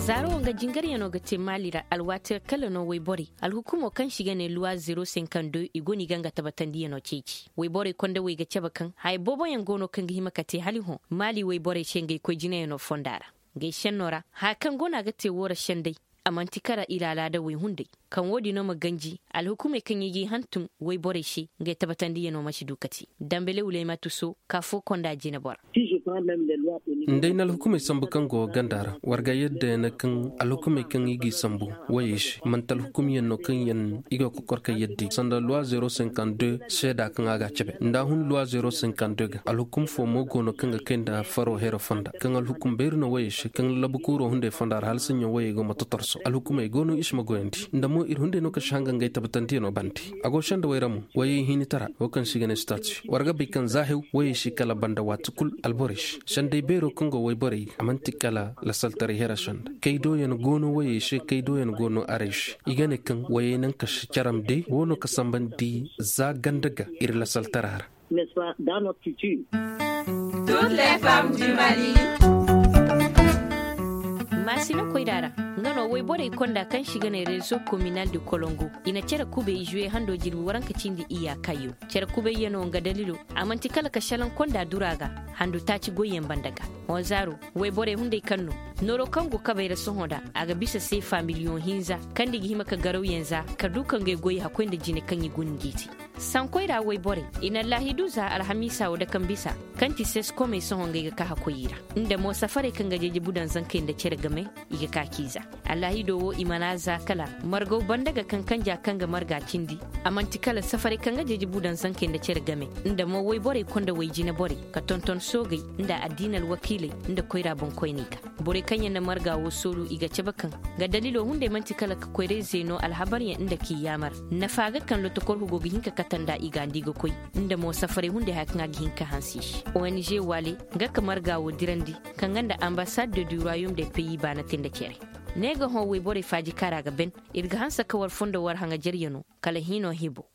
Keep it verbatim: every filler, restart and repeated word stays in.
Zaaro nga jingaryano ga te maali ra alwaati ra kala no wayborey alhukumo kaŋ se i ga ne luwa zeero senkandew i go no i ga nga tabatandiyano ceeci. Wayborey kondawey ga cabe kaŋ haya booboyaŋ go no kaŋ ga hima ka te hala i hõ maali wayborey se ngey koy jinayano fonda ra. Ngey senno ra haya kaŋ go no a ga te wo ra sendey a manti kala iri alaadawey hunday. Kaŋ wo- din no ma ganji alhukumey kaŋ i g'i hantum wayborey se ngey tabatandiyano ma si du ka te. Dambele wulaymatu so ka fo konda jine bora. Nda ay na alhukumey sambu kaŋ go ganda ra war ga yadda yaŋ kaŋ alhukumey kaŋ i g'i sambu wayey se manti alhukumyaŋ no kaŋ yaŋ i ga kokor ka yadda i sanda luwa zeero senkandew seeda kaŋ a ga a cabe nda a hun luwa zeero senkandew ga alhukum fo mo go no kaŋ ga kay nda faro hero fonda kaŋ alhukum bayri no wayey se kaŋ lallabu kuuro hunday fonda ra hala saɲɲo wayey go ma totorso alhukumey go no i si ma goyandi nda mo iri hunday no kaŋ si hanga ngey tabatantiyano bande. A go senda wayra mo wayey hinitara wo kaŋ se i ga ne stati war ga bay kaŋ za hew wayey si kala banda waati kulu alborey se sendey beero kaŋ go wayborey ga a manti kala lasaltaray hera senda kay doyaŋ go no wayey se kay doyaŋ go no arey se i ga ne kaŋ wayey naŋ ka si caram day wo no ka sambandi za ganda ga iri lasaltara ra. Maasina koyra ra nga no wayborey konda kaŋ se i ga ne rezo kominal de kolongo i na care kubay zuwe hando jirbi waranka cindi iyya kayyo care kubayyaŋo nga dalilo a manti kala ka salaŋ konda dura ga handu taaci goyyaŋ banda ga. Honzaaro wayborey hunday kaŋ no nooro kaŋ go kabay ra sohõ da a ga bisa seefa miliyoŋ hinza kaŋ nda i ga hima ka garawyaŋ za ka du ka ngey goy hakkoy nda jine kaŋ i guna ngey te. Sankoy ra wayborey i na allaahidu za alhamiisa wo dake bisa kaŋ ti seskomey sohõ ngey ga ka hakkoy i ra nda mo safarey kaŋ ga jeejebu daŋ zankey nda care game i ga ka k'i za. Allaahido wo i mana za kala margaw banda ga kaŋ kanja kaŋ ga marga cindi a manti kala safarey kaŋ ga jeejebu daŋ zankey nda care game nda mo wayborey konda wayjine borey ka tonton soogey nda addiina alwakiiley nda koyra boŋkoyney ga. Borey kaŋ yaŋ na marga wo sooru i ga cabe kaŋ ga daliilo hunday manti kala ka koyray zeeno alhabaryaŋ nda k'i yaamar nafa ga kaŋ lotokorhu go ga hin ka kate nd'a i ga nda i ga koy nda mo safarey hunday haya kaŋ a ga hin ka hanse i se. Ong waale nga ka marga wo dirandi kaŋ ga nda ambassade de du royaume de pays baana te nda care. Ne ga hõ wayborey faaji kaara ga ben. Iri ga hanse ka war fondo war haŋajaryano kala hino hibo.